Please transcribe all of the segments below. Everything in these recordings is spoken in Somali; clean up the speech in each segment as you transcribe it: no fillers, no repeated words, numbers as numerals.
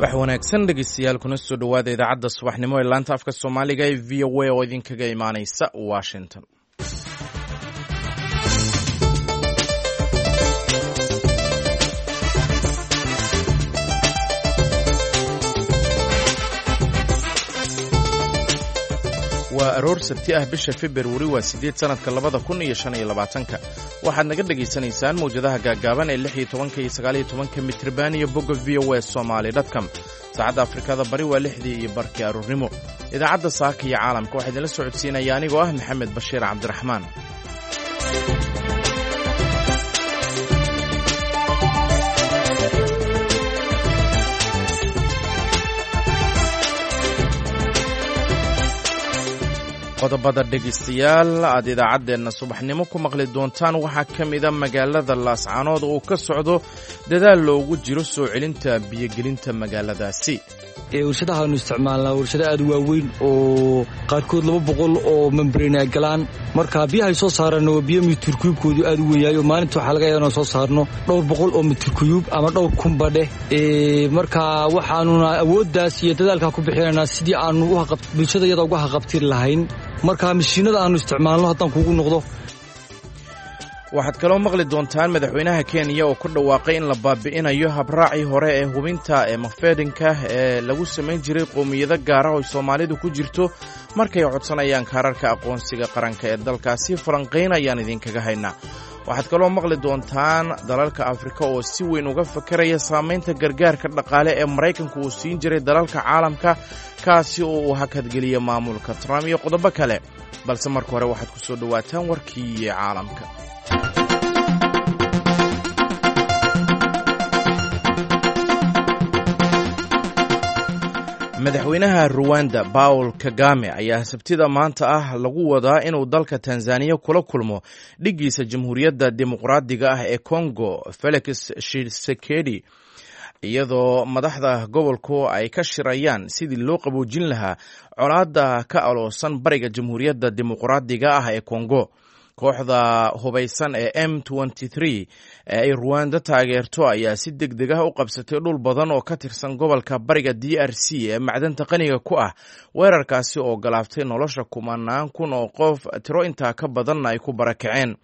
Subax wanaagsan dhegeystayaal, kuna soo dhowaada idaacadda subaxnimo ee laanta afka Soomaaliga ee VOA oo idinkaga imaaneysa Washington. Waa aroor Sabti ah, bisha Februari waa 8, sanadka 2025-ka. Waxaad naga dhegaysanaysaan mawjadaha gaaggaaban ee 16-ka iyo 19-ka mitriban iyo bogga voasomali.com. Saacadda Afrikada Bari waa 6:30 aroornimo. Idaacadda Saaka iyo Caalamka waxaa idinla socodsiinaya anigoo ah Maxamed Bashiir Cabdiraxmaan. Qodobada dhegaystayaal aad idaacaddeenna subaxnimo ku maqli doontaan waxaa ka mida magaalada Laascaanood oo ka socdo dadaal loogu jiro soo celinta biyogelinta magaaladaasi. Warshadahaanu isticmaalnaa warshado aad u waaweyn oo qaarkood 200 oo membrane ay galaan. Marka biyahay soo saarana waa biyo mitirkuyubkoodu aad u weyn yahay, oo maalinta waxaa laga yaaba inaan soo saarno dhowr boqol oo mitirkuyub ama dhowr kunba dheh. Marka waxaanuna awooddaas iyo dadaalkaa ku bixinaynaa sidii aanu bulshada iyada uga haqabtiri lahayn. Marka mashiinada aanu isticmaalno haddaan kuugu noqdo. Waxaad kaloo maqli doontaan madaxweynaha Kenya oo ku dhawaaqay in la baabi'inayo habraacii hore ee hubinta ee mafeedhinka ee lagu samayn jiray qowmiyado gaara oo Soomaalidu ku jirto markay codsanayaan kaararka aqoonsiga qaranka ee dalkaasi. Falanqayn ayaan idinkaga haynaa. Waxaad kaloo maqli doontaan dalalka Afrika oo si weyn uga fakaraya saamaynta gargaarka dhaqaale ee Maraykanku uu siin jiray dalalka caalamka, kaasi oo uu hakadgeliya maamulka Trump, iyo qodobo kale. Balse marka hore waxaad ku soo dhowaataan warkii caalamka. Madaxweynaha Ruwanda Paul Kagame ayaa Sabtida maanta ah lagu wadaa inuu dalka Tanzaniya kula kulmo dhiggiisa Jamhuuriyadda Dimuqraadiga ah ee Congo, Felix Tshisekedi, iyadoo madaxda gobolku ay ka shirayaan sidii loo qaboojin lahaa colaadda ka aloosan bariga Jamhuuriyadda Dimuqraadiga ah ee Congo. Kooxda hubaysan ee M ee ay Ruwanda taageerto ayaa si deg deg ah u qabsatay dhul badan oo ka tirsan gobolka bariga DRC ee macdanta qaniga ku ah, weerarkaasi oo galaaftay nolosha kumanaan kun oo qof, tiro intaa ka badanna ay ku barakaceen.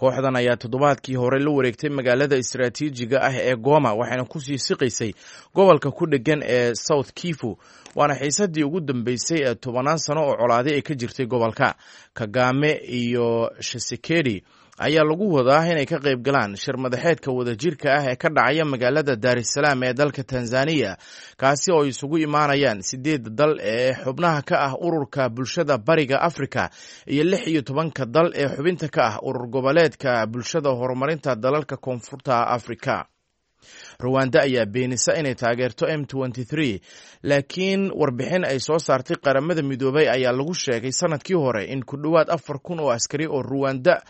Kooxdan ayaa toddobaadkii hore la wareegtay magaalada istaraatiijiga ah ee Goma, waxayna kusii siqaysay gobolka ku dhegan ee South Kivu, waana xiisadii ugu dambeysay ee tobanaan sano oo colaaday ay ka jirtay gobolka. Kagame iyo Tshisekedi ayaa lagu wadaa inay ka qayb galaan shir madaxeedka wadajirka ah ee ka dhacaya magaalada Daar es Salaam ee dalka Tanzaniya, kaasi oo isugu imaanayaan sideedda dal ee xubnaha ka ah Ururka Bulshada Bariga Afrika iyo 16-ka dal ee xubinta ka ah Urur Goboleedka Bulshada Horumarinta Dalalka Koonfurta Afrika. Ruwanda ayaa beenisa inay taageerto M, laakiin warbixin ay soo saartay Qaramada Midoobay ayaa lagu sheegay sanadkii hore in ku dhowaad 4000 oo askari oo Ruwanda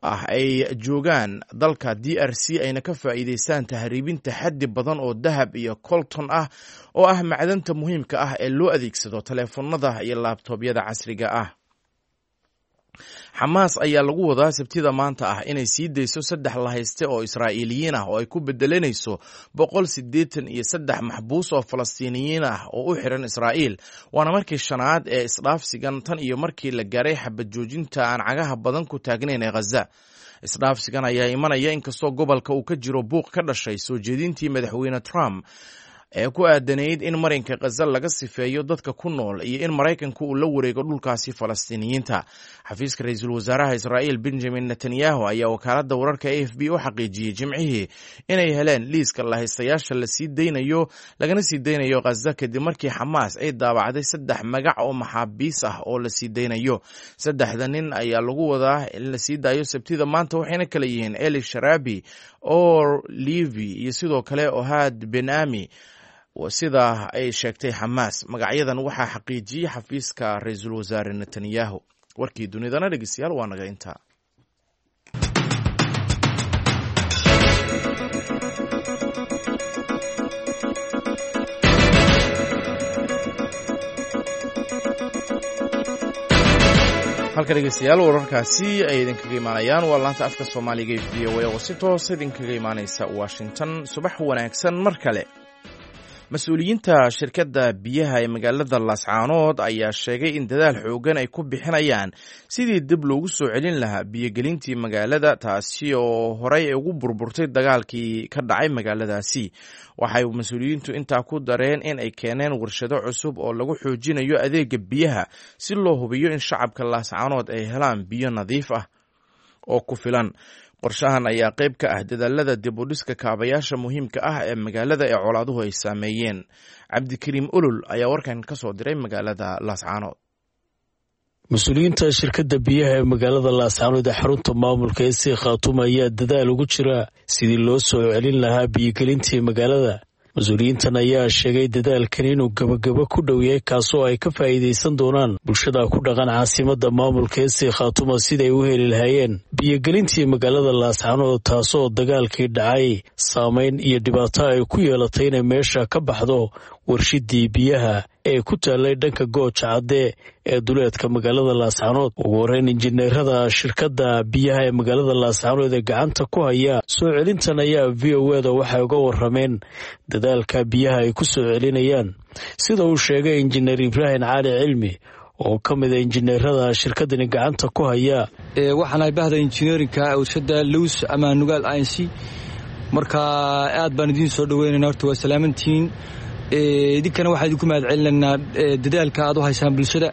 ah ay joogaan dalka DRC, ayna ka faa'iidaystaan tahriibinta xaddi badan oo dahab iyo colton ah, oo ah macdanta muhiimka ah ee loo adeegsado taleefanada iyo laabtoobyada casriga ah. Xamaas ayaa lagu wadaa Sabtida maanta ah inay sii dayso saddex lahayste oo Israa'iiliyiin ah oo ay ku bedelanayso 183 maxbuus oo Falastiiniyiin ah oo u xiran Israa'iil. Waana markii shanaad ee isdhaafsigan tan iyo markii la gaaray xabad joojinta aan cagaha badan ku taagnayn ee Khaza. Isdhaafsigan ayaa imanaya inkastoo gobolka uu ka jiro buuq ka dhashay soo jeedintii madaxweyne Trump ee ku aadanayd in marinka Khaza laga sifeeyo dadka ku nool iyo in Maraykanku uu la wareego dhulkaasi Falastiiniyiinta. Xafiiska ra-iisul wasaaraha Israa'iil Benjamin Netanyahu ayaa wakaaladda wararka AFP u xaqiijiyey Jimcihii inay heleen liiska lahaystayaasha la sii daynayo, lagana sii daynayo Khaza, kadib markii Xamaas ay daabacday saddex magac oo maxaabiis ah oo la sii daynayo. Saddexda nin ayaa lagu wadaa in la sii daayo Sabtida maanta, waxayna kala yihiin Eli Sharabi, Or Levi iyo sidoo kale Ohad Benami, sida ay sheegtay Xamaas. Magacyadan waxaa xaqiijiyey xafiiska ra-iisul wasaare Netanyahu. Warkii dunidana dhegeystayaal waa naga intaa. Halka dhegeystayaal wararkaasi ay idinkaga imaanayaan waa laanta afka Soomaaliga ee VOA oo si toosa idinkaga imaaneysa Washington. Subax wanaagsan mar kale. Mas-uuliyiinta shirkadda biyaha ee magaalada Laascaanood ayaa sheegay in dadaal xoogan ay ku bixinayaan sidii dib loogu soo celin lahaa biyogelintii magaalada, taasi oo horey ugu burburtay dagaalkii ka dhacay magaaladaasi. Waxay mas-uuliyiintu intaa ku dareen in ay keeneen warshado cusub oo lagu xoojinayo adeega biyaha si loo hubiyo in shacabka Laascaanood ay helaan biyo nadiif ah oo ku filan. Qorshahan ayaa qayb ka ah dadaalada dib u dhiska kaabayaasha muhiimka ah ee magaalada ee colaaduhu ay saameeyeen. Cabdikariim Olol ayaa warkan ka soo diray magaalada Laascaanood. Mas-uuliyiinta shirkadda biyaha ee magaalada Laascaanood ee xarunta maamulka ee sii Khaatuum ayaa dadaal ugu jira sidii loo soo celin lahaa biyogelintii magaalada. Mas-uuliyiintan ayaa sheegay dadaalkan inuu gabagabo ku dhow yahay, kaasoo ay ka faa'iidaysan doonaan bulshada ku dhaqan caasimadda maamulka ee sii Khaatuma siday u heli lahaayeen biyogelintii magaalada Laascaanood, taasoo dagaalkii dhacay saameyn iyo dhibaato ay ku yeelatay inay meesha ka baxdo warshidii biyaha ee ku taallay dhanka Gooja Cadde ee duleedka magaalada Laascaanood. Ugu horreyn, injineerada shirkadda biyaha ee magaalada Laascaanood ee gacanta ku haya soo celintan ayaa v o eda waxay uga warrameen dadaalka biyaha ay ku soo celinayaan, sida uu sheegay injineer Ibraahim Cali Cilmi oo ka mida injineerada shirkadani gacanta ku haya. Waxaanahay bahda injineerinka warshada Lows ama Nugaal Inc. Marka aad baan idiin soo dhaweynayna, horta waa salaamantihiin. Idinkana waxaan idinku mahad celinaynaa dadaalka aad u haysaan bulshada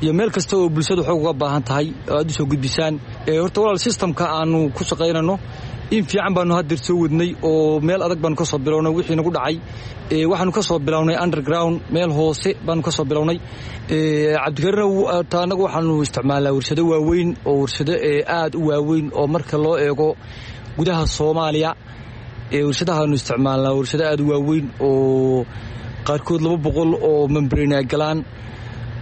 iyo meel kasta oo bulshada xoog uga baahan tahay oo aad u soo gudbisaan. Horta walaal, systemka aanu ku shaqaynano in fiican baanu haddeer soo wadnay oo meel adag baanu ka soo bilownay. Wixii nagu dhacay waxaanu ka soo bilownay underground, meel hoose baanu ka soo bilownay. Cabdikariin, annagu waxaanu isticmaalnaa warshado waaweyn oo warshado aad u waaweyn oo marka loo eego gudaha Soomaaliya warshadahaanu isticmaalnaa, warshado aad u waaweyn oo qaarkood 200 oo membrane ay galaan.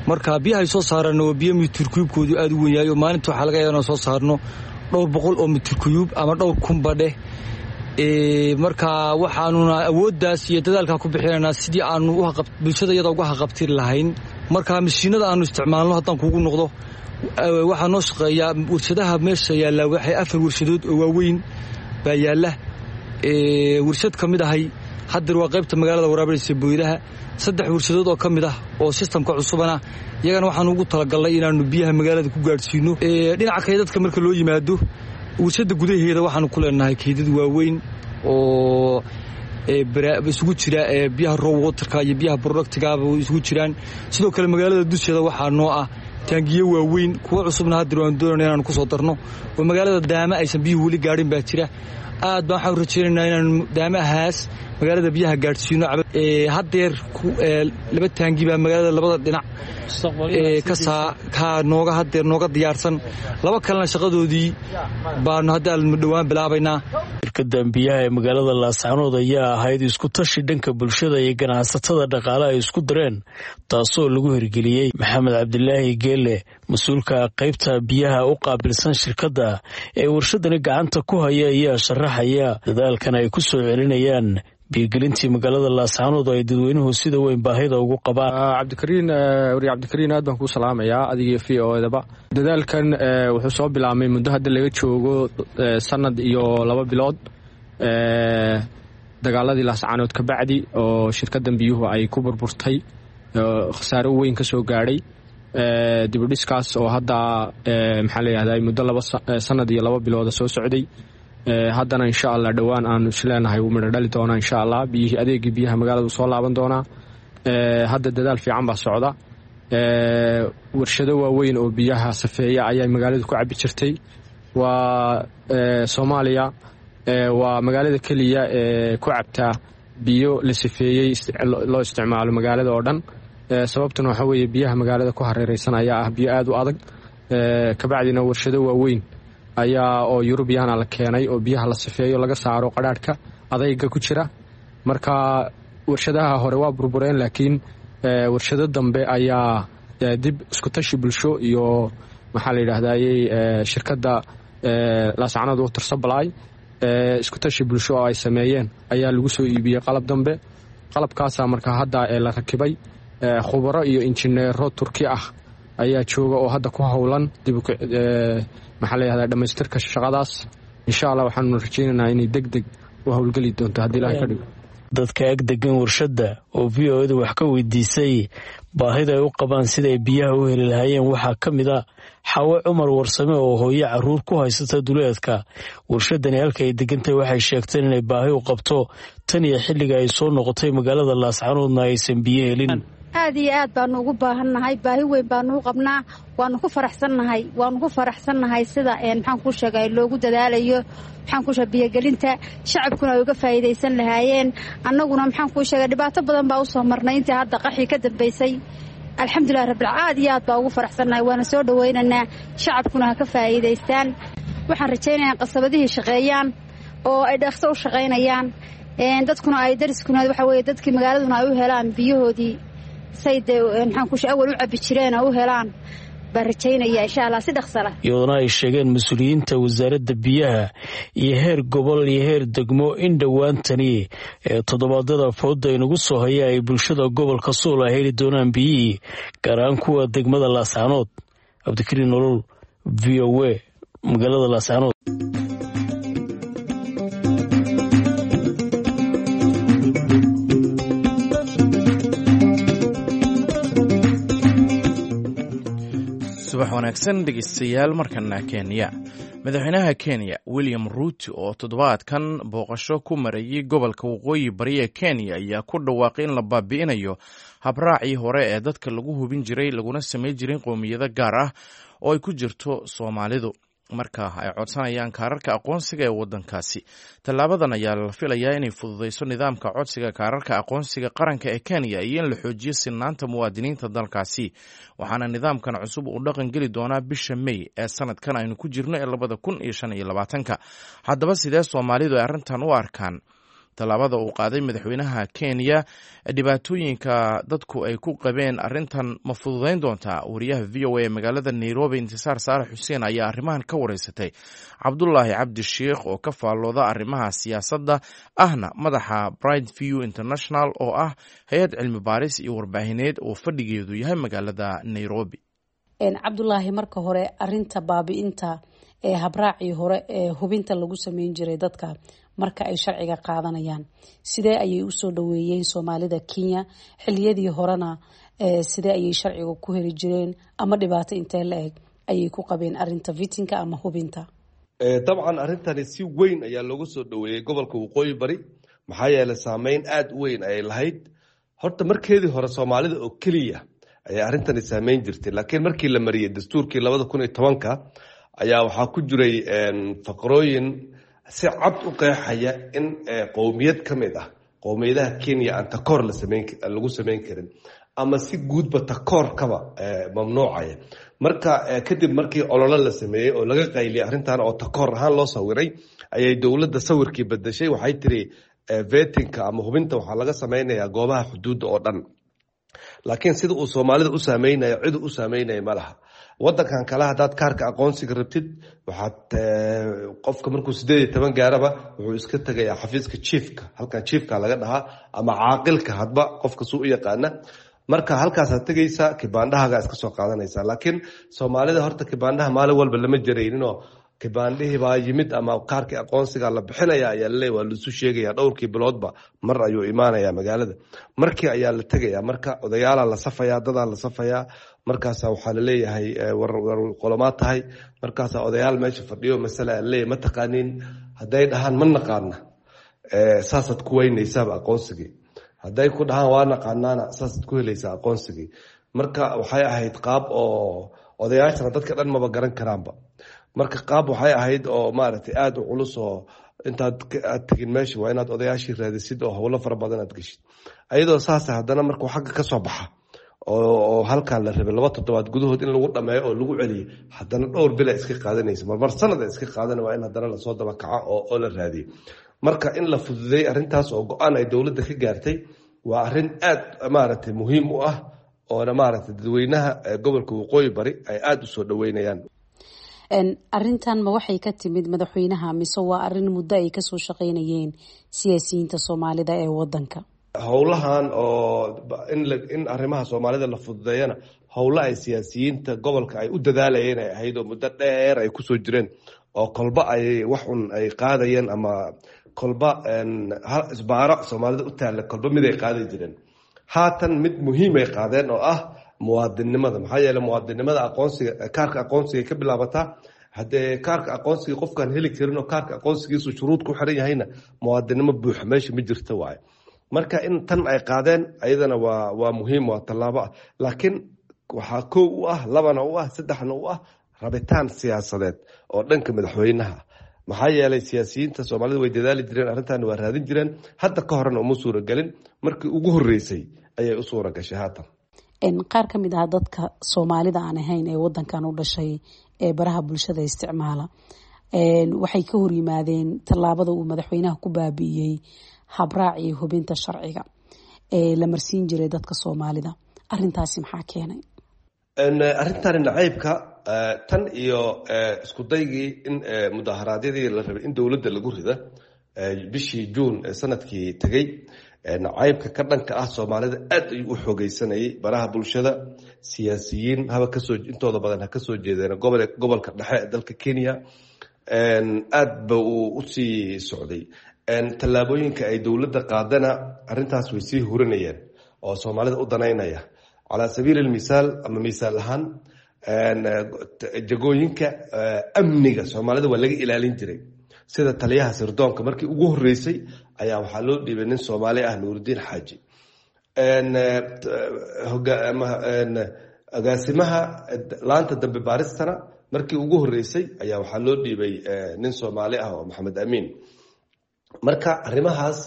Marka biyaha ay soo saaraan waa biyo mitir kuyubkoodu aad u weyn yahay, oo maalinta waxaa laga yaaba inaan soo saarno dhowr boqol oo mitir kuyub ama dhowr kunba dheh. Marka waxaanuna awooddaas iyo dadaalkaa ku bixinaynaa sidii aanu bulshada iyada uga haqabtiri lahayn. Marka mashiinada aanu isticmaalno haddaan kuugu noqdo, waxaa noo shaqeeyaa warshadaha meesha yaallaa, waxay afar warshadood oo waaweyn baa yaalla. Warshad ka mid ahay haddeer waa qaybta magaalada waraabinaysa booydaha. Saddex warshadood oo ka mid ah oo sistamka cusubana iyagana waxaanu ugu talagalnay inaannu biyaha magaalada ku gaadhsiino. Dhinaca kaydadka marka loo yimaado, warshadda gudaheeda waxaanu ku leenahay kaydad waaweyn oo isugu jira biyaha raw waterka iyo biyaha productigaaba isugu jiraan. Sidoo kale magaalada dusheeda waxaa noo ah taangiyo waaweyn, kuwo cusubna haddeer waanu doonayna inaanu ku soo darno oo magaalada daama aysan biyuhu weli gaadhin baa jira. Aad baan waxaan rajaynaynaa inaanu daamahaas magaalada biyaha gaadhsiino. Haddeer laba taangi baa magaalada labada dhinac ka nooga haddeer nooga diyaarsan, laba kalena shaqadoodii baanu hadda dhowaan bilaabaynaa. Shirkadan biyaha ee magaalada Laascaanood ayaa ahayd isku tashi dhanka bulshada iyo ganacsatada dhaqaale ay isku dareen, taasoo lagu hirgeliyey. Maxamed Cabdilaahi Geele, mas-uulka qaybta biyaha u qaabilsan shirkadda ee warshadani gacanta ku haya, ayaa sharaxaya dadaalkan ay ku soo celinayaan biyogelintii magaalada Laascaanood oo ay dadweynuhu sida weyn baahida ugu qabaan. Cabdikariin, wariye Cabdikariin, aad baan kuu salaamayaa adigiyo v o edaba. Dadaalkan wuxuu soo bilaabmay muddo hadda laga joogo sanad iyo 2 bilood, dagaaladii Laascaanood ka bacdi oo shirkaddan biyuhu ay ku burburtay, khasaaro weyn ka soo gaadhay. Dibudhiskaas oo hadda maxaa la yihahda muddo laba sanad iyo 2 bilooda soo socday, haddana insha Allah dhowaan aanu isleenahay wuu midho dhali doonaa insha Allah. Biyihii, adeegii biyaha magaalada uu soo laaban doonaa. Hadda dadaal fiican baa socda. Warshado waaweyn oo biyaha safeeya ayaa magaaladu ku cabi jirtay. Waa Soomaaliya waa magaalada keliya ee ku cabtaa biyo la sifeeyey loo isticmaalo magaalada oo dhan. Sababtuna waxaa weeye biyaha magaalada ku hareereysan ayaa ah biyo aada u adag. Kabacdina warshado waaweyn ayaa oo Yurubiyana la keenay oo biyaha la sifeeyo, laga saaro qadhaadhka adayga ku jira. Marka warshadaha hore waa burbureen, laakiin warshado dambe ayaa dib iskutashi bulsho iyo maxaa la yidhahdayey shirkadda Laascanood Water Supply iskutashi bulsho oo ay sameeyeen ayaa lagu soo iibiyey qalab dambe. Qalabkaasaa marka hadda la rakibay. Khubaro iyo injineero Turki ah ayaa jooga oo hadda ku howlan dib maxaa la yihahdaa dhamaystirka shaqadaas. Insha Allah waxaanu rajeynaynaa inay deg deg u howlgeli doonto haddii Ilahay ka dhigo. Dadka ag degan warshadda oo VOA-da wax ka weydiisay baahida ay u qabaan siday biyaha u heli lahaayeen waxaa ka mid a Xaawe Cumar Warsame oo hooyo caruur ku haysata duleedka warshadani halka ay degantahay. Waxay sheegteen inay baahi u qabto tan iyo xilliga ay soo noqotay magaalada Laascanoodna aysan biyo helin. Aad iyo aad baanu ugu baahannahay, baahi weyn baanu u qabnaa. Waanu ku faraxsannahay, waanu ku faraxsannahay sida, maxaan kuu sheegay, loogu dadaalayo, maxaan kuu sheegay, biyogelinta shacabkuna ay uga faa'iidaysan lahaayeen. Annaguna, maxaan kuu sheegay, dhibaato badan baa usoo marnay intii hadda qaxii ka dambaysay. Alxamdulilah rabbil, aad iyo aad baa ugu faraxsannahay, waana soo dhawaynaynaa, shacabkuna ha ka faa'iidaystaan. Waxaan rajaynayaa qasabadihii shaqeeyaan oo ay dhaqso u shaqaynayaan, dadkuna ay dariskuna, waxa weeye, dadkii magaaladuna ay u helaan biyahoodii say dee, maxaan ku awal u cabbi jireen oo u helaan baan rajaynaya, insha Allah, si dhaqsala. Iyadoona ay sheegeen mas-uuliyiinta wasaaradda biyaha iyo heer gobol iyo heer degmo in dhowaantani ee toddobaadada fooda inagu soo haya ay bulshada gobolka Sool ay heli doonaan biyihii, gaar ahaan kuwa degmada Laascanood. Cabdikariin Nolol, VOA, magaalada Laascanood. Subax wanaagsan, dhegeystayaal. Markana Kenya. Madaxweynaha Kenya William Ruto oo toddobaadkan booqasho ku marayay gobolka waqooyi bari ee Kenya ayaa ku dhawaaqay in la baabi'inayo habraacii hore ee dadka lagu hubin jiray laguna samey jiray qowmiyado gaar ah oo ay ku jirto Soomaalidu marka ay codsanayaan kaararka aqoonsiga ee waddankaasi. Tallaabadan ayaa la filayaa inay fududeyso nidaamka codsiga kaararka aqoonsiga qaranka ee Kenya iyo in la xoojiyo sinaanta muwaadiniinta dalkaasi, waxaana nidaamkan cusub uu dhaqan geli doonaa bisha May ee sanadkan aynu ku jirno ee 2025-ka. Haddaba, sidee Soomaalidu ay arrintan u arkaan tallaabada uu qaaday madaxweynaha Kenya? Dhibaatooyinka dadku ay ku qabeen arrintan ma fududeyn doontaa? Wariyaha VOA ee magaalada Nairobi, Intisaar Saarax Xuseen, ayaa arrimahan ka wareysatay Cabdulaahi Cabdi Sheikh oo ka faallooda arrimaha siyaasadda, ahna madaxa Bright View International oo ah hay-ad cilmi baaris iyo warbaahineed oo fadhigeedu yahay magaalada Nairobi. Cabdulaahi, marka hore arinta baabi'inta ee habraacii hore ee hubinta lagu sameyn jiray dadka marka ay sharciga qaadanayaan, sidee ayay usoo dhaweeyeen Soomaalida Kenya? Xiliyadii horena sidee ayay sharciga ku heli jireen, ama dhibaato intee la eg ayay ku qabeen arinta vetting-ka ama hubinta? Dabcan, arrintani si weyn ayaa looga soo dhaweeyey gobolka waqooyi bari, maxaa yeelay saameyn aada u weyn ayay lahayd. Horta markeedii hore Soomaalida oo keliya ayaa arrintani saameyn jirtay, laakiin markii la mariyey dastuurkii 2010-ka ayaa waxaa ku jiray faqrooyin si cad u qeexaya in qowmiyad ka mid ah qowmiyadaha Kenya aan takoor lagu sameyn karin, ama si guudba takoorkaba mamnuucaya. Marka kadib markii ololo la sameeyey oo laga qayliyay arrintan oo takoor ahaan loo sawiray, ayay dowladda sawirkii bedeshay. Waxay tiri vetting-ka ama hubinta waxaa laga sameynayaa goobaha xuduudda oo dhan, laakiin sida uu Soomaalida u saameynayo cid u saameynaya ma laha. Wadankan kale haddaad kaarka aqoonsiga rabtid, waxaad qofka markuu 18 gaaraba wuxuu iska tegayaa xafiiska chiefka, halkan chiefka laga dhahaa ama caaqilka, hadba qofka suu u yaqaana. Marka halkaasaad tegaysaa, kibaandhahagaa iska soo qaadanaysaa. Laakiin Soomaalida horta kibaandhaha maalin walba lama jarayninoo kibaandhihii baa yimid ama kaarkii aqoonsiga la bixinaya ayaa laleeya, waa laisu sheegaya, dhowrkii biloodba mar ayuu imaanaya magaalada. Markii ayaa la tegaya, marka odayaalaa la safayaa, dadaa la safayaa, markaasa waxaa laleeyahay war qolomaa tahay. Markaasaa odayaal meesha fadhiyo masala laleeyahay, ma taqaaniin? Hadday dhahaan ma naqaana, saasaad ku weynaysaaba aqoonsigii. Hadday ku dhahaan waa naqaanaana, saasaad ku helaysaa aqoonsigii. Marka waxay ahayd qaab oo odayaashana dadka dhan maba garan karaanba. Marka qaab waxay ahayd oo maaragtay aada u culus, oo intaad aad tegin meesha waa inaad odayaashii raadisid oo howlo fara badan aad geshid. Ayadoo saasa haddana markuu xagga ka soo baxa oo halkan la rabay 2 toddobaad gudahood in lagu dhameeyo oo lagu celiyo, haddana dhowr bila iska qaadanaysa, marmar sanad iska qaadana, waa in haddana lasoo daba kaco oo la raadiyo. Marka in la fududeeyey arrintaas oo go-aan ay dowladda ka gaartay waa arrin aad maaragtay muhiim u ah, oona maaragtay dadweynaha gobolka waqooyi bari ay aada usoo dhaweynayaan. Arrintan ma waxay ka timid madaxweynaha, mise waa arrin muddo ay kasoo shaqeynayeen siyaasiyiinta Soomaalida ee wadanka? Howlahan oo in arrimaha Soomaalida la fududeeyana, howlo ay siyaasiyiinta gobolka ay u dadaalayeen ay ahayd, oo muddo dheer ay kusoo jireen, oo kolba ay wax un ay qaadayeen ama Kolba isbaaro Soomaalida u taalla kolba miday qaadi jireen. Haatan mid muhiimay qaadeen oo ah muwaadinnimada, maxaa yeele muwaadinnimada aqoonsiga, kaarka aqoonsiga ka bilaabataa. Haddee kaarka aqoonsiga qofkaan heli karin oo kaarka aqoonsigiisu shuruud ku xiran yahayna, muwaadinnimo buuxa meesha ma jirta waaye. Marka in tan ay qaadeen ayadana waa muhiim, waa tallaabo ah. Laakiin waxaa kow u ah, labana u ah, saddexna u ah rabitaan siyaasadeed oo dhanka madaxweynaha, maxaa yeelay siyaasiyiinta Soomaalida way dadaali jireen, arrintan waa raadin jireen. Hadda ka horena uma suuragelin, markii ugu horreysay ayay u suura gashay haatan. Qaar ka mid ah dadka Soomaalida aan ahayn ee wadankan u dhashay ee baraha bulshada isticmaala waxay ka hor yimaadeen tallaabada uu madaxweynaha ku baabi'iyey habraacii hubinta sharciga ee la marsiin jiray dadka Soomaalida. Arintaasi maxaa keenay? Arrintani nacaybka tan iyo isku daygii in mudaharaadyadii la rabay in dowladda lagu rida bishii Juun ee sanadkii tegey, nacaybka ka dhanka ah Soomaalida aad ayuu u xoogeysanayay baraha bulshada. Siyaasiyiin haba kasoo, intooda badan ha kasoo jeedeen gobolka dhexe ee dalka Kenya, aad ba uu usii socday. Tallaabooyinka ay dowladda qaadana arrintaas way sii hurinayeen oo Soomaalida u danaynaya. Calaa sabiili lmisaal ama misaal ahaan, jagooyinka amniga Soomaalida waa laga ilaalin jiray, sida taliyaha sirdoonka markii ugu horeysay ayaa waxaa loo dhiibay nin Soomaali ah, Nuurudiin Xaaji. Agaasimaha laanta dambe baaristana markii ugu horeysay ayaa waxaa loo dhiibay nin Soomaali ah oo Maxamed Amiin. Marka arrimahaas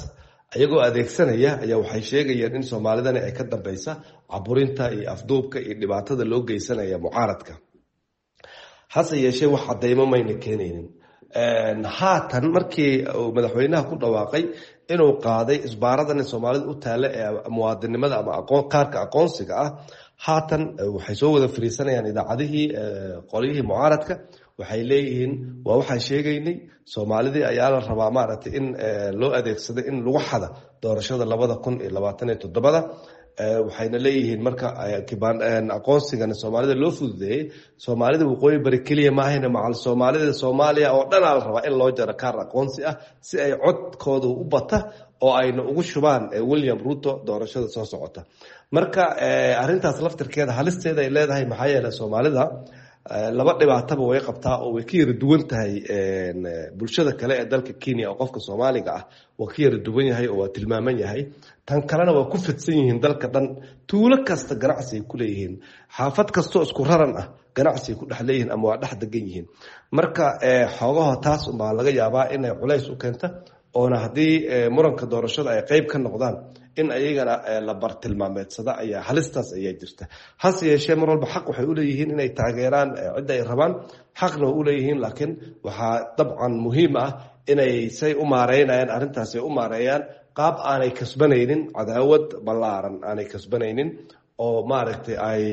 ayagoo adeegsanaya ayaa waxay sheegayeen in Soomaalidani ay ka dambeysa caburinta iyo afduubka iyo dhibaatada loo geysanaya mucaaradka. Hase yeeshee wax cadeymo mayna keenaynin. Haatan markii uu madaxweynaha ku dhawaaqay inuu qaaday isbaaradan Soomaalida u taalla ee muwaadinimada ama kaarka aqoonsiga ah, haatan waxay soo wada fariisanayaan idaacadihii qolyihii mucaaradka. Waxay leeyihiin waa waxaan sheegaynay, Soomaalidii ayaa la rabaa maaragtay in loo adeegsado in lagu xada doorashada 2027-da. Waxayna leeyihiin marka aqoonsigana Soomaalida loo fududeeyey, Soomaalida Waqooyi Bari keliya maahayna, macal Soomaalida Soomaaliya oo dhanaa la rabaa in loo jaro kaar aqoonsi ah si ay codkooda u bata oo ayna ugu shubaan William Ruto doorashada soo socota. Marka arrintaas laftirkeeda halisteeda ay leedahay, maxaa yeeley Soomaalida laba dhibaataba way qabtaa oo way ka yara duwan tahay bulshada kale ee dalka Kenya, oo qofka Soomaaliga ah waa ka yara duwan yahay oo waa tilmaaman yahay. Tan kalena waa ku fidsan yihiin dalka dhan, tuulo kasta ganacsi ay ku leeyihiin, xaafad kastoo isku raran ah ganacsi ay ku dhex leeyihiin ama waa dhex degan yihiin. Marka xoogaha taas unbaa laga yaabaa inay culays u keenta, oona haddii muranka doorashada ay qeyb ka noqdaan in ayagana la bartilmaameedsada ayaa halistaas ayaa jirta. Hase yeeshee mar walba xaq waxay uleeyihiin inay taageeraan cidda ay rabaan, xaqna waa uleeyihiin, laakiin waxaa dabcan muhiim ah inay say u maareynayaan arrintaas ay u maareeyaan qaab aanay kasbanaynin cadaawad ballaaran, aanay kasbanaynin oo maaragtay ay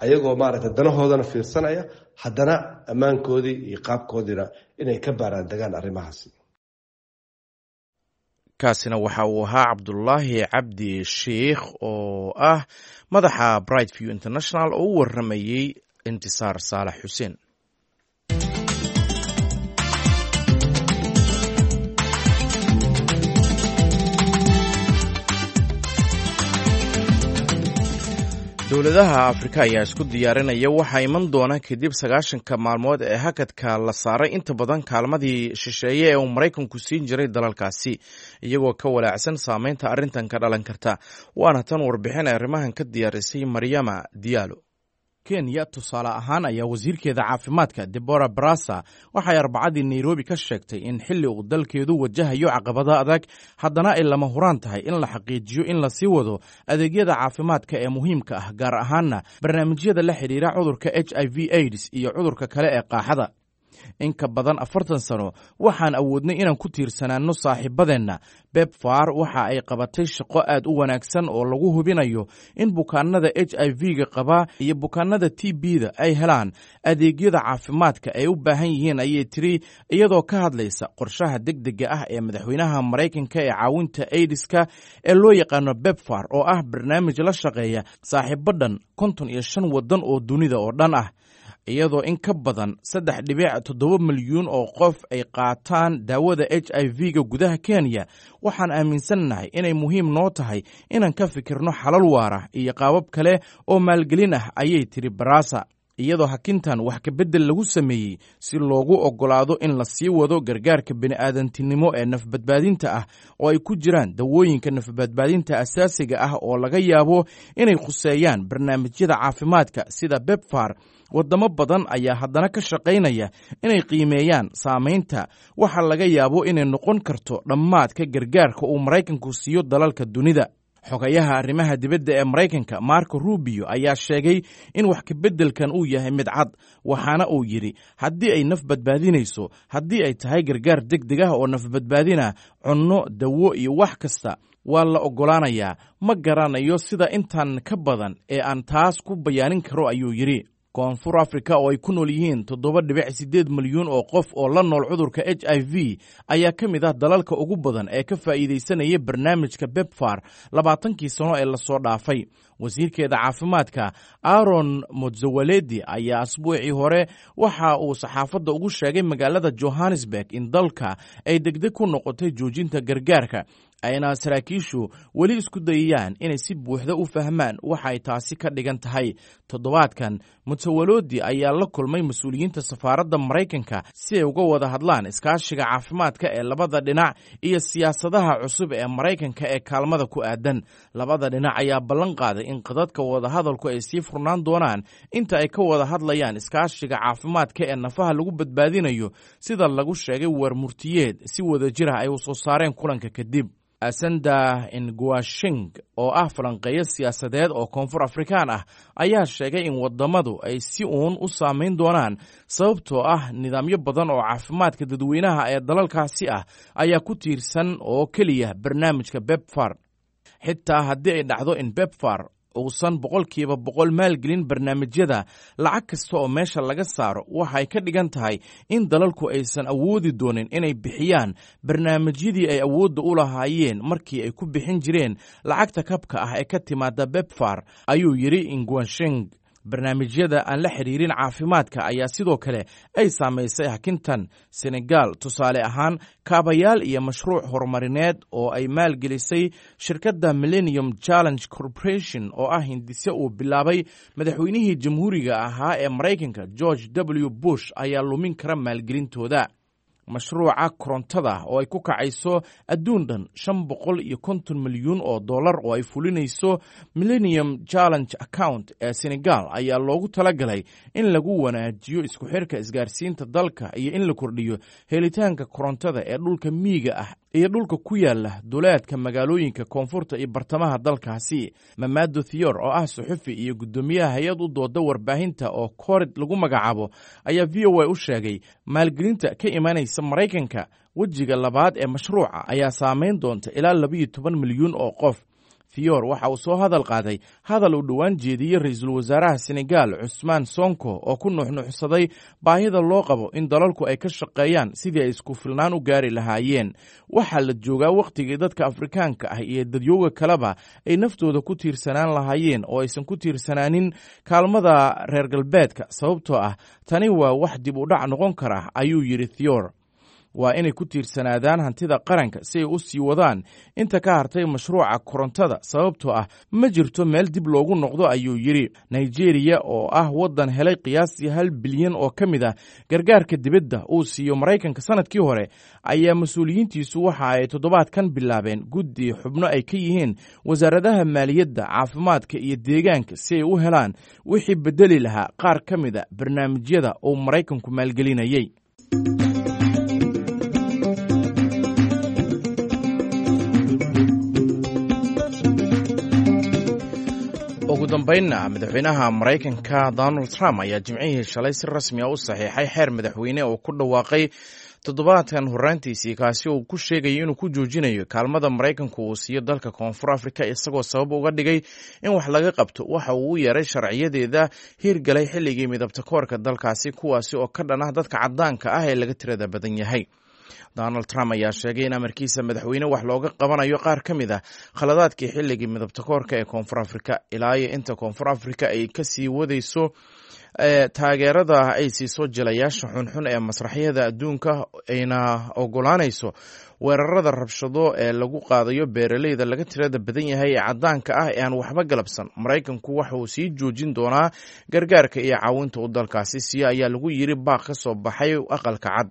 ayagoo maaragtay danahoodana fiirsanaya, haddana ammaankoodii iyo qaabkoodiina inay ka baaraan degaan arrimahaasi. Kaasina waxa uu ahaa Cabdulaahi Cabdi Sheikh oo ah madaxa Bright View International oo u waramayey Intisaar Saalax Xuseen. Dowladaha Afrika ayaa isku diyaarinaya waxaa iman doona kadib 90-ka maalmood ee hakadka la saaray inta badan kaalmadii shisheeye ee uu Maraykanku siin jiray dalalkaasi, iyagoo ka walaacsan saameynta arrintan ka dhalan karta. Waana tan warbixin ay arrimahan ka diyaarisay Maryama Diyaalo. Kenya tusaale ahaan ayaa wasiirkeeda caafimaadka Debora Barasa waxay Arbacadii Nairobi ka sheegtay in xilli uu dalkeedu wajahayo caqabado adag, haddana ay lama huraan tahay in la xaqiijiyo in lasii wado adeegyada caafimaadka ee muhiimka ah, gaar ahaanna barnaamijyada la xidhiira cudurka HIV AIDS iyo cudurka kale ee qaaxada. In ka badan 40 sano waxaan awoodnay inaan ku tiirsanaanno saaxiibadeenna. PEPFAR waxa ay qabatay shaqo aad u wanaagsan oo lagu hubinayo in bukaanada HIV-ga qaba iyo bukaanada TB-da ay helaan adeegyada caafimaadka ay u baahan yihiin, ayay tiri, iyadoo ka hadlaysa qorshaha degdega ah ee madaxweynaha Maraykanka ee caawinta aidiska ee loo yaqaano PEPFAR, oo ah barnaamij la shaqeeya saaxiibo dhan 55 waddan oo dunida oo dhan ah. Iyadoo in ka badan 3.7 milyuun oo qof ay qaataan daawada HIV-ga gudaha Kenya, waxaan aaminsannahay inay muhiim noo tahay inaan ka fikirno xalal waara iyo qaabab kale oo maalgelin ah, ayay tiri Barasa. Iyadoo hakintan wax kabedel lagu sameeyey si loogu oggolaado in la sii wado gargaarka bini'aadantinimo ee nafbadbaadinta ah, oo ay ku jiraan dawooyinka nafbadbaadinta asaasiga ah oo laga yaabo inay khuseeyaan barnaamijyada caafimaadka sida BEBFAR, waddamo badan ayaa haddana ka shaqaynaya inay qiimeeyaan saamaynta waxa laga yaabo inay noqon karto dhammaadka gargaarka uu Maraykanku siiyo dalalka dunida. Xogayaha arrimaha dibadda ee Maraykanka Marco Rubio ayaa sheegay in wax kabeddelkan uu yahay mid cad, waxaana uu yidhi: "Haddii ay naf badbaadinayso, haddii ay tahay gargaar deg deg ah oo nafbadbaadina, cunno, dawo iyo wax kasta waa la oggolaanayaa. Ma garanayo sida intan ka badan ee aan taas ku bayaanin karo," ayuu yidhi. Koonfur Africa, oo ay ku nool yihiin 7.8 milyuun oo qof oo la nool cudurka HIV, ayaa ka mid ah dalalka ugu badan ee ka faa'iidaysanaya barnaamijka BEBFAR 20kii sano ee lasoo dhaafay. Wasiirkeeda caafimaadka Aaron Motsowaledi ayaa asbuucii hore waxa uu saxaafadda ugu sheegay magaalada Johannesburg in dalka ay degdeg ku noqotay joojinta gargaarka, ayna saraakiishu weli isku dayayaan inay si buuxda u fahmaan waxa ay taasi ka dhigan tahay. Toddobaadkan Mutsawalodi ayaa la kulmay mas-uuliyiinta safaaradda Maraykanka si ay uga wada hadlaan iskaashiga caafimaadka ee labada dhinac iyo siyaasadaha cusub ee Maraykanka ee kaalmada ku aadan. Labada dhinac ayaa ballan qaaday in qadadka wadahadalku ay sii furnaan doonaan inta ay ka wada hadlayaan iskaashiga caafimaadka ee nafaha lagu badbaadinayo, sida lagu sheegay warmurtiyeed si wadajir ah ay u soo saareen kulanka kadib. Asanda Nguashing, oo ah falanqeeyo siyaasadeed oo Koonfur Afrikaan ah, ayaa sheegay in wadamadu ay si uun u saamayn doonaan, sababtoo ah nidaamyo badan oo caafimaadka dadweynaha ee dalalkaasi ah ayaa ku tiirsan oo keliya barnaamijka BEBFAR. Xitaa haddii ay dhacdo in BEBFAR uusan 100% maalgelin barnaamijyada, lacag kasta oo meesha laga saaro waxay ka dhigan tahay in dalalku aysan awoodi doonin inay bixiyaan barnaamijyadii ay awoodda u lahaayeen markii ay ku bixin jireen lacagta kabka ah ee ka timaada BEBFAR, ayuu yidhi Ingwanshing. Barnaamijyada aan la xidhiirin caafimaadka ayaa sidoo kale ay saamaysay hakintan. Senegal, tusaale ahaan, kaabayaal iyo mashruuc horumarineed oo ay maalgelisay shirkadda Millennium Challenge Corporation, oo ah hindise uu bilaabay madaxweynihii jamhuuriga ahaa ee Maraykanka George W Bush, ayaa lumin kara maalgelintooda. Mashruuca korontada oo ay ku kacayso adduun dhan 550 milyuun oo dollar oo ay fulinayso Millennium Challenge Account ee Senegal ayaa loogu talagalay in lagu wanaajiyo isku xirka isgaarsiinta dalka iyo in la kordhiyo helitaanka korontada ee dhulka miyiga ah iyo dhulka ku yaala duleedka magaalooyinka koonfurta iyo bartamaha dalkaasi. Mamado Thior, oo ah suxufi iyo guddoomiyaha hay-ad u dooda warbaahinta oo Korid lagu magacaabo, ayaa VOA u sheegay maalgelinta ka imanaysa Maraykanka wejiga labaad ee mashruuca ayaa saameyn doonta ilaa 12 milyuun oo qof. Thior waxa uu soo hadal qaaday hadal uu dhowaan jeediyey ra-iisul wasaaraha Senegal Cusmaan Sonko, oo ku nuuxnuuxsaday baahida loo qabo in dalalku ay ka shaqeeyaan sidii ay isku filnaan u gaari lahaayeen. "Waxaa la joogaa wakhtigii dadka Afrikaanka ah iyo dadyooga kaleba ay naftooda ku tiirsanaan lahaayeen oo aysan ku tiirsanaanin kaalmada reer galbeedka, sababtoo ah tani waa wax dib u dhac noqon kara," ayuu yidhi Thior. "Waa inay ku tiirsanaadaan hantida qaranka si ay u sii wadaan inta ka hartay mashruuca korontada, sababtoo ah ma jirto meel dib loogu noqdo," ayuu yidhi. Nigeria, oo ah waddan helay qiyaastii 1 bilyan oo ka mid ah gargaarka dibadda uu siiyo Maraykanka sanadkii hore, ayaa mas-uuliyiintiisu waxa ay toddobaadkan bilaabeen guddi xubno ay ka yihiin wasaaradaha maaliyadda, caafimaadka iyo deegaanka si ay u helaan wixii bedeli lahaa qaar ka mid a barnaamijyada uu Maraykanku maalgelinayay. Ugu dambeynna, madaxweynaha Maraykanka Donald Trump ayaa Jimcihii shalay si rasmi a u saxiixay xeer madaxweyne oo ku dhawaaqay toddobaadkan horraantiisii, kaasi uu ku sheegayay inuu ku joojinayo kaalmada Maraykanku uu siiyo dalka Koonfur Afrika, isagoo sabab uga dhigay in wax laga qabto waxa uu u yeeray sharciyadeeda hiirgalay xilligii midabta koorka dalkaasi, kuwaasi oo ka dhan ah dadka caddaanka ah ee laga tirada badan yahay. Donald Trump ayaa sheegay in amarkiisa madaxweyne wax looga qabanayo qaar ka mid ah khaladaadkii xilligii midabta koorka ee Koonfur Afrika. Ilaa iyo inta Koonfur Afrika ay kasii wadayso taageerada ay siiso jilayaasha xunxun ee masraxyada adduunka, ayna ogolaanayso weerarada rabshado ee lagu qaadayo beeraleyda laga tirada badan yahay ee caddaanka ah ee aan waxba galabsan, Maraykanku waxa uu sii joojin doonaa gargaarka iyo caawinta uu dalkaasi siiyo, ayaa lagu yiri baaq ka soo baxay Aqalka Cad.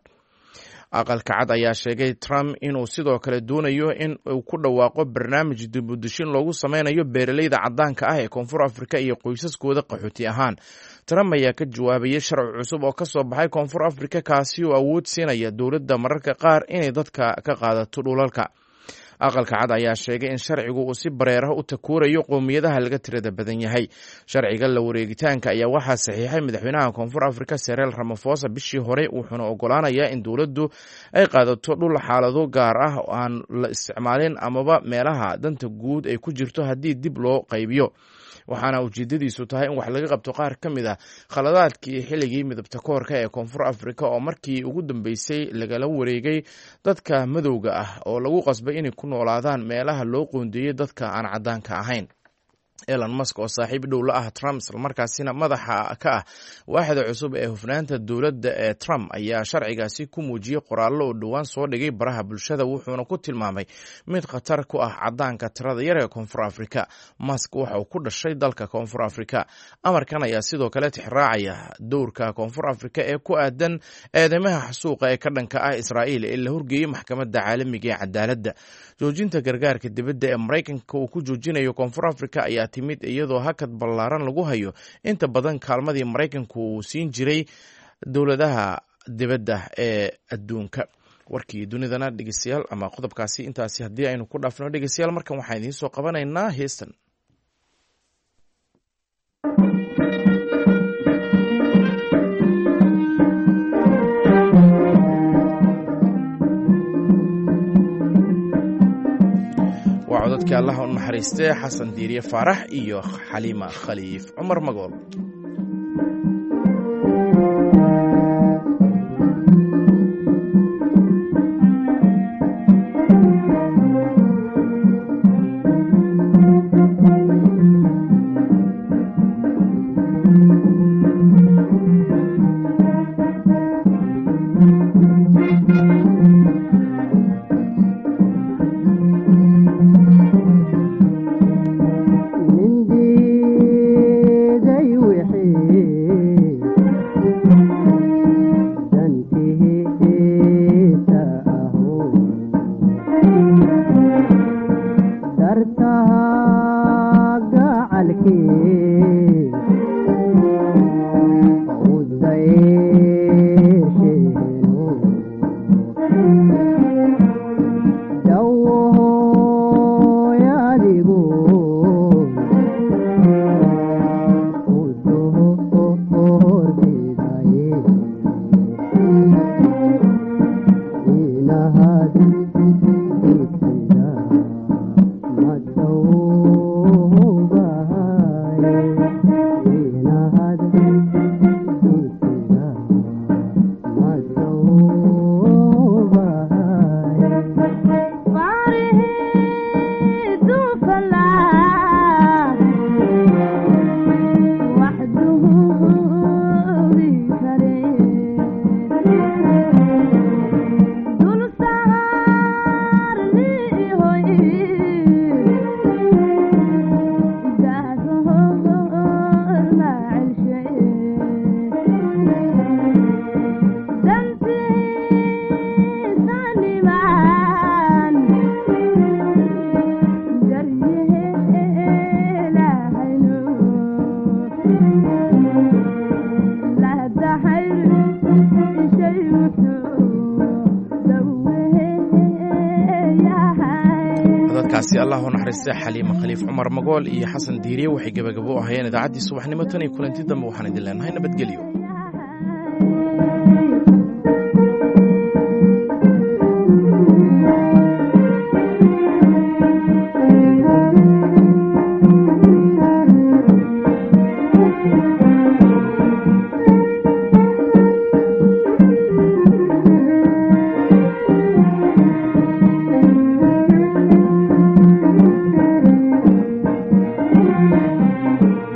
Aqalka Cad ayaa sheegay Trump inuu sidoo kale doonayo in uu ku dhawaaqo barnaamij dibudeshin loogu sameynayo beeraleyda caddaanka ah ee Koonfur Afrika iyo qoysaskooda qaxooti ahaan. Trump ayaa ka jawaabayay sharci cusub oo ka soo baxay Koonfur Afrika, kaasi oo awood siinaya dowladda mararka qaar inay dadka ka qaadato dhulalka. Aqalka Cad ayaa sheegay in sharcigu uu si bareeraha u takuurayo qowmiyadaha laga tirada badan yahay. Sharciga la wareegitaanka ayaa waxaa saxiixay madaxweynaha Koonfur Afrika Sereel Ramafosa bishii hore, wuxuuna ogolaanayaa in dowladdu ay qaadato dhul xaalado gaar ah oo aan la isticmaalin amaba meelaha danta guud ay ku jirto haddii dib loo qaybiyo, waxaana ujeedadiisu tahay in wax laga qabto qaar ka mid ah khaladaadkii xilligii midabta koorka ee Koonfur Afrika, oo markii ugu dambeysay lagala wareegay dadka madowga ah oo lagu qasbay inay ku noolaadaan meelaha loo qoondeeyey dadka aan caddaanka ahayn. Elon Musk oo saaxiib dhow la ah Trump, islamarkaasina madaxa ka ah waaxda cusub ee hufnaanta dowladda ee Trump, ayaa sharcigaasi ku muujiyey qoraallo oo dhowaan soo dhigay baraha bulshada, wuxuuna ku tilmaamay mid khatar ku ah caddaanka tirada yar ee Koonfur Afrika. Musk waxa uu ku dhashay dalka Koonfur Afrika. Amarkan ayaa sidoo kale tixraacaya dowrka Koonfur Afrika ee ku aadan eedeymaha xasuuqa ee ka dhanka ah Israa'iil ee la horgeeyey Maxkamadda Caalamiga ee Cadaaladda. Joojinta gargaarka dibadda ee Maraykanka uu ku joojinayo Koonfur Afrika ayaa timid iyadoo hakad ballaaran lagu hayo inta badan kaalmadii Maraykanku uu siin jiray dowladaha dibadda ee adduunka. Warkii dunidana, dhegeystayaal, ama qodobkaasi intaasi haddii aynu ku dhaafno, dhegeystayaal, markan waxaan idiin soo qabanaynaa heestan. Waa codadkii Allaha u naxariistee Xasan Diiriye Faarax iyo Xaliima Khaliif Cumar Magool. Codadkaasi Allah u naxariista Xaliima Khaliif Cumar Magool iyo Xasan Diiriye waxay gebagabo u ahayeen idaacaddii subaxnimo. Tan iyo kulanti dambe waxaan idin leenahay nabadgelyo.